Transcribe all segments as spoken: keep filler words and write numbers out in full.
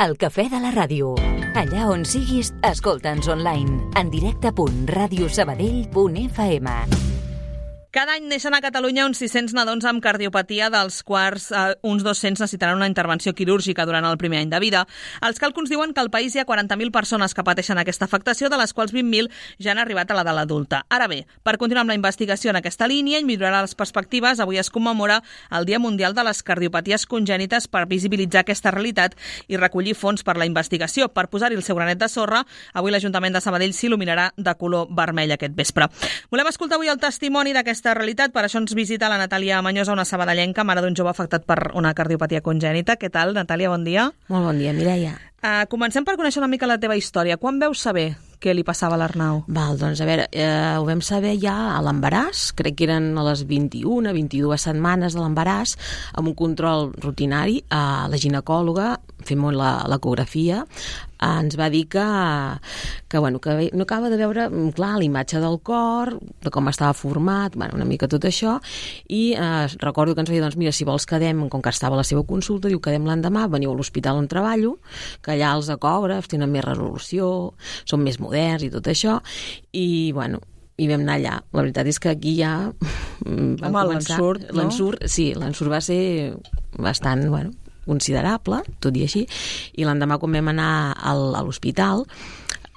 El cafè de la ràdio. Allà on siguis, escolta'ns online. En directe punt ràdio sabadell punt f m. Cada any neixen a Catalunya uns sis-cents nadons amb cardiopatia, dels quals eh, uns dos-cents necessitaran una intervenció quirúrgica durant el primer any de vida. Els càlculs diuen que al país hi ha quaranta mil persones que pateixen aquesta afectació, de les quals vint mil ja han arribat a l'edat adulta. Ara bé, per continuar amb la investigació en aquesta línia i millorar les perspectives, avui es commemora el Dia Mundial de les Cardiopaties Congènites per visibilitzar aquesta realitat i recollir fons per la investigació. Per posar-hi el seu granet de sorra, avui l'Ajuntament de Sabadell s'il·luminarà de color vermell aquest vespre. Volem escoltar avui el testimoni d'aquesta realitat, per això ens visita la Natàlia Mañosa, una sabadellenca, mare d'un jove afectat per una cardiopatia congènita. Què tal, Natàlia? Bon dia. Molt bon dia, Mireia. Uh, comencem per conèixer una mica la teva història. Quan veus saber què li passava a l'Arnau? Val, doncs a veure, eh, ho vam saber ja a l'embaràs, crec que eren a les vint-i-una, vint-i-dues setmanes de l'embaràs, amb un control rutinari. A la ginecòloga, fent l'ecografia, ens va dir que, que, bueno, que no acaba de veure clar la imatge del cor, de com estava format, bueno, una mica tot això, i eh, recordo que ens va dir, doncs mira, si vols quedem, com que estava a la seva consulta, diu, quedem l'endemà, veniu a l'hospital on treballo, que allà els ecògrafs tenen més resolució, són més moderns i tot això, i bueno, i vam anar allà. La veritat és que aquí ja vam Home, començar... l'ensurt, no? L'ensurt, sí, l'ensurt va ser bastant, bueno, considerable, tot i així, i l'endemà quan vam anar al, a l'hospital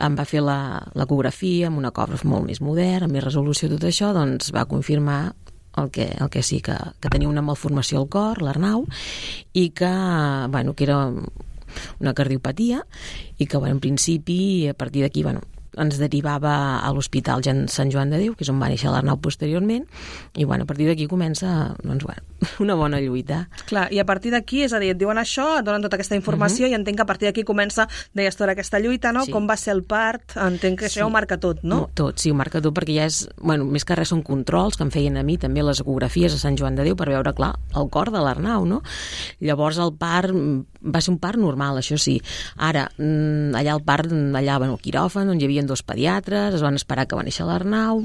em va fer l'ecografia amb un ecògraf molt més modern, amb més resolució, tot això, doncs va confirmar el que, el que sí, que, que tenia una malformació al cor, l'Arnau, i que, bueno, que era una cardiopatia, i que, bueno, en principi, a partir d'aquí, bueno, ens derivava a l'Hospital Sant Joan de Déu, que és on va néixer l'Arnau posteriorment, i bueno, a partir d'aquí comença, doncs, bueno, una bona lluita. Clar, i a partir d'aquí, és a dir, et diuen això, et donen tota aquesta informació, uh-huh. i entenc que a partir d'aquí comença, deies tota aquesta lluita, no? Sí. Com va ser el part? Entenc que sí. Això ho marca tot, no? no? Tot, sí, ho marca tot, perquè ja és, bueno, més que res són controls que em feien a mi, també les ecografies a Sant Joan de Déu, per veure, clar, el cor de l'Arnau, no? Llavors el part va ser un part normal, això sí. Ara, allà el part, allà, bueno, el quiròfan, on hi havia dos pediatres, es van esperar que va néixer l'Arnau,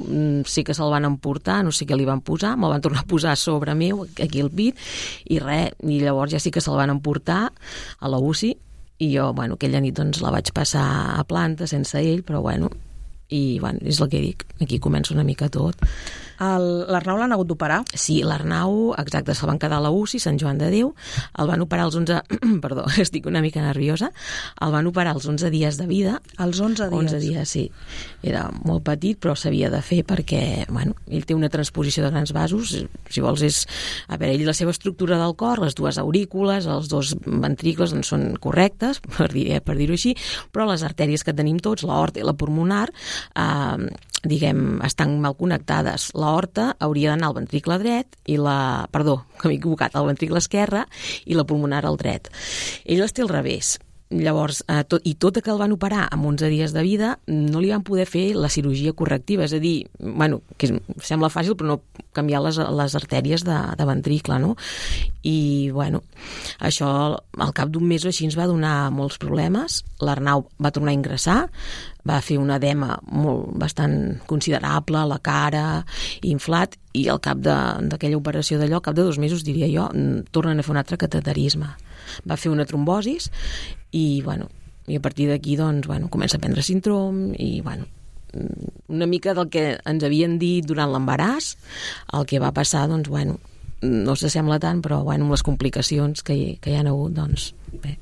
sí que se'l van emportar, no sé què li van posar, me'l van tornar a posar a sobre meu, aquí al pit, i res, i llavors ja sí que se'l van emportar a la U C I, i jo, bueno, aquella nit doncs la vaig passar a planta sense ell, però bueno, i bueno, és el que dic, aquí comença una mica tot. L'Arnau l'han hagut d'operar? Sí, l'Arnau, exacte, se'l van quedar a la U C I, Sant Joan de Déu, el van operar els onze... Perdó, estic una mica nerviosa. El van operar els onze dies de vida. Els onze dies? onze dies, sí. Era molt petit, però s'havia de fer perquè, bueno, ell té una transposició de grans vasos, si vols és... A veure, ell, la seva estructura del cor, les dues aurícules, els dos ventricles, doncs són correctes, per dir, per dir-ho així, però les artèries que tenim tots, l'aorta i la pulmonar, eh, diguem, estan mal connectades. L'aorta hauria d'anar al ventricle dret i la... Perdó, que m'he equivocat, al ventricle esquerre i la pulmonar al dret. Ell les té al revés. Llavors, eh, tot, i tot que el van operar amb onze dies de vida, no li van poder fer la cirurgia correctiva, és a dir, bueno, que sembla fàcil, però no canviar les, les artèries de, de ventricle, no? I, bueno, això al cap d'un mes o així ens va donar molts problemes. L'Arnau va tornar a ingressar, va fer un edema molt, bastant considerable, la cara, inflat, i al cap d'aquella operació d'allò, al cap de dos mesos, diria jo, tornen a fer un altre cateterisme. Va fer una trombosis i, bueno, i a partir d'aquí, doncs, bueno, comença a prendre síndrom i, bueno, una mica del que ens havien dit durant l'embaràs, el que va passar, doncs, bueno, no s'assembla tant, però, bueno, amb les complicacions que hi, que hi ha hagut, doncs, bé.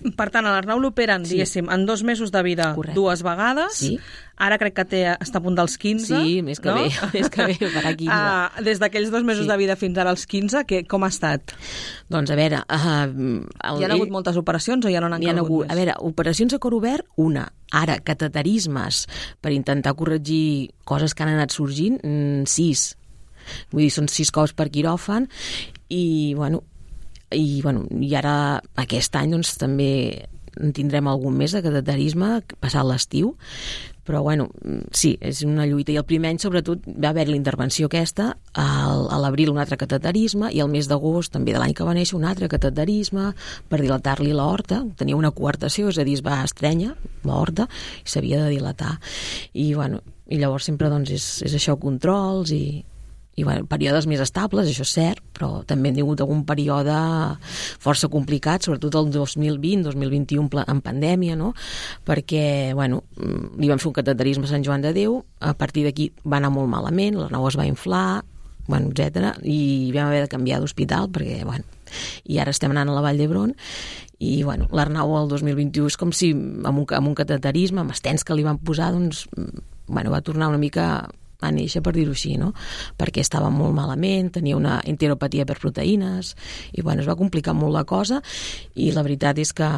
Per tant, a l'Arnau l'operen, sí. diguéssim, en dos mesos de vida. Correcte. Dues vegades. Sí. Ara crec que té, està a punt dels quinze. Sí, més que no? bé, més que bé, per aquí. Uh, des d'aquells dos mesos sí. de vida fins ara als quinze, que, com ha estat? Doncs a veure... Uh, el, hi ha hagut ell... moltes operacions o ja no n'han calgut hagut, més? A veure, operacions a cor obert, una. Ara, cateterismes per intentar corregir coses que han anat sorgint, mm, sis. Vull dir, són sis cops per quiròfan i, bueno, i, bueno, i ara aquest any doncs, també en tindrem algun més de cateterisme passat l'estiu, però bueno, sí, és una lluita, i el primer any sobretot va haver l'intervenció aquesta, al, a l'abril un altre cateterisme i el mes d'agost també de l'any que va néixer un altre cateterisme per dilatar-li l'aorta, tenia una coartació, és a dir, es va estrènyer l'aorta i s'havia de dilatar, i bueno, i llavors sempre doncs és, és això, controls i i bueno, períodes més estables, això és cert, però també hem tingut algun període força complicat, sobretot el dos mil vint, dos mil vint-i-u en pandèmia, no? Perquè, bueno, li vam fer un cateterisme a Sant Joan de Déu, a partir d'aquí va anar molt malament, l'Arnau es va inflar, bueno, etcètera, i vam haver de canviar d'hospital perquè, bueno, i ara estem anant a la Vall d'Hebron i, bueno, l'Arnau el dos mil vint-i-u és com si amb un, amb un cateterisme, amb estens que li van posar, doncs, bueno, va tornar una mica a néixer, per dir-ho així, no? Perquè estava molt malament, tenia una enteropatia per proteïnes i, bueno, es va complicar molt la cosa i la veritat és que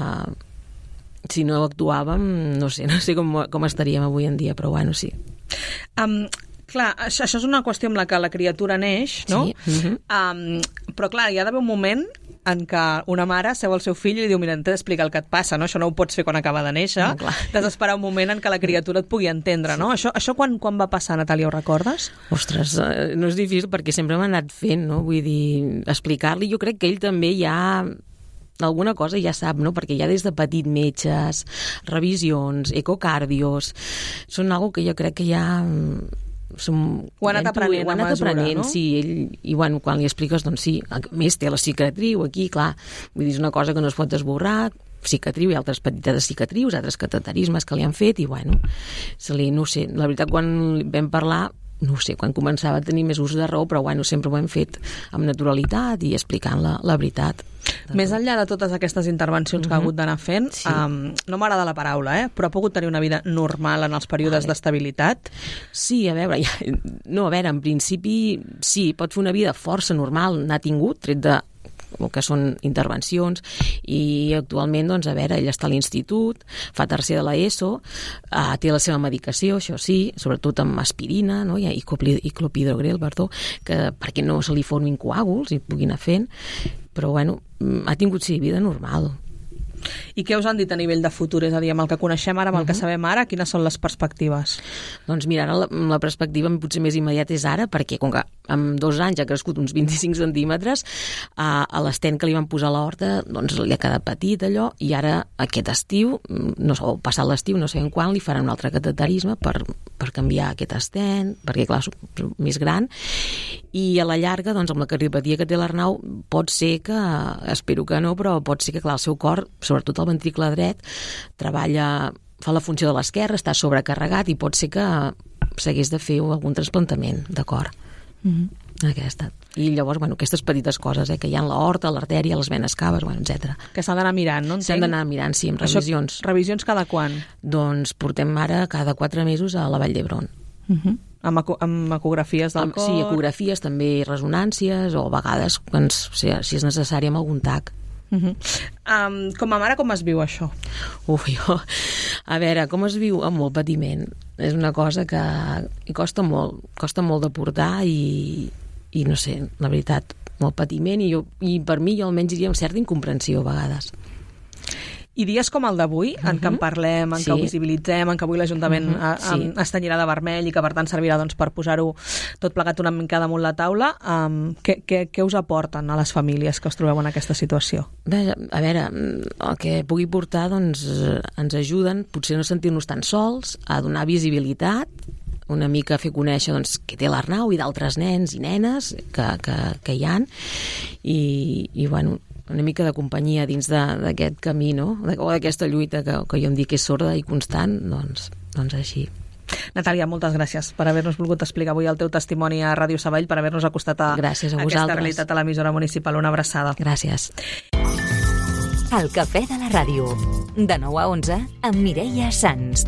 si no actuàvem, no sé, no sé com, com estaríem avui en dia, però, bueno, sí. Um, clar, això, això és una qüestió amb la que la criatura neix, no? Sí. Uh-huh. Um, però, clar, hi ha d'haver un moment en què una mare seu al seu fill i li diu, mira, t'he d'explicar el que et passa, no? Això no ho pots fer quan acaba de néixer. No, t'has d'esperar un moment en què la criatura et pugui entendre, no? Això, això quan, quan va passar, Natàlia, ho recordes? Ostres, no és difícil perquè sempre m'ha anat fent, no? Vull dir, explicar-li, jo crec que ell també ja alguna cosa ja sap, no? Perquè ja des de petit metges, revisions, ecocardios, són algo que jo crec que ja som, ho ha anat aprenent, ho ha anat mesura, aprenent, no? sí, ell, i bueno, quan li expliques, doncs sí, a més té la cicatriu aquí, clar, vull dir, és una cosa que no es pot esborrar, cicatriu i altres petites cicatrius, altres cateterismes que li han fet, i bueno, se li, no sé, la veritat, quan vam parlar, no sé, quan començava a tenir més ús de raó, però bueno, sempre ho hem fet amb naturalitat i explicant la, la veritat. Més enllà de totes aquestes intervencions que ha hagut d'anar fent, sí. um, no m'agrada la paraula, eh? Però ha pogut tenir una vida normal en els períodes d'estabilitat? Sí, a veure, ja, no, a veure, en principi sí, pot fer una vida força normal, n'ha tingut, tret de el que són intervencions, i actualment, doncs, a veure, ell està a l'institut, fa tercer de l'ESO, uh, té la seva medicació, això sí, sobretot amb aspirina, no? I clopidogrel, perdó, que perquè no se li formin coàguls i pugui anar fent, però, bueno, ha tingut, sí, vida normal. I què us han dit a nivell de futur? És a dir, amb el que coneixem ara, amb el que sabem ara, quines són les perspectives? Doncs mira, ara la, la perspectiva potser més immediata és ara, perquè com que en dos anys ha crescut uns vint-i-cinc centímetres, a, a l'estent que li van posar a l'horta, doncs li ha quedat petit allò, i ara aquest estiu, no sé, passat l'estiu, no sabem quan, li faran un altre cateterisme per, per canviar aquest estent, perquè clar, és més gran, i a la llarga, doncs amb la cardiopatia que té l'Arnau, pot ser que, espero que no, però pot ser que clar, el seu cor, sobretot el ventricle dret, treballa, fa la funció de l'esquerra, està sobrecarregat i pot ser que s'hagués de fer algun trasplantament de cor. Mm-hmm. Aquesta. I llavors, bueno, aquestes petites coses, eh, que hi ha en l'aorta, l'artèria, les venes caves, bueno, etcètera. Que s'han d'anar mirant, no? S'han d'anar mirant, sí, amb revisions. Això, revisions cada quan? Doncs portem ara cada quatre mesos a la Vall d'Hebron. Uh-huh. Amb, eco amb ecografies del amb, cor? Sí, ecografies, també resonàncies, o a vegades, doncs, si, si és necessari, amb algun tac. Uh-huh. um, com a mare, com es viu això? Uf, jo... A veure, com es viu? Amb molt patiment. És una cosa que costa molt, costa molt de portar i, i no sé, la veritat, molt patiment i, jo, i per mi jo almenys diria amb certa incomprensió a vegades. I dies com el d'avui, en què en parlem, en Sí. què ho visibilitzem, en què avui l'Ajuntament Uh-huh. Sí. es tenyirà de vermell i que per tant servirà doncs, per posar-ho tot plegat una mica damunt la taula, um, què, què, què us aporten a les famílies que us trobeu en aquesta situació? Bé, a veure, el que pugui portar doncs, ens ajuden, potser no sentir-nos tan sols, a donar visibilitat, una mica a fer conèixer doncs, que té l'Arnau i d'altres nens i nenes que, que, que hi ha, i, i bueno, una mica de companyia dins d'aquest camí, no? O d'aquesta lluita que, que jo em dic que és sorda i constant, doncs, doncs així. Natàlia, moltes gràcies per haver-nos volgut explicar avui el teu testimoni a Ràdio Sabadell, per haver-nos acostat a, gràcies a, a aquesta vosaltres. realitat a l'emissora municipal. Una abraçada. Gràcies. El cafè de la ràdio, de nou a onze, amb Mireia Sans.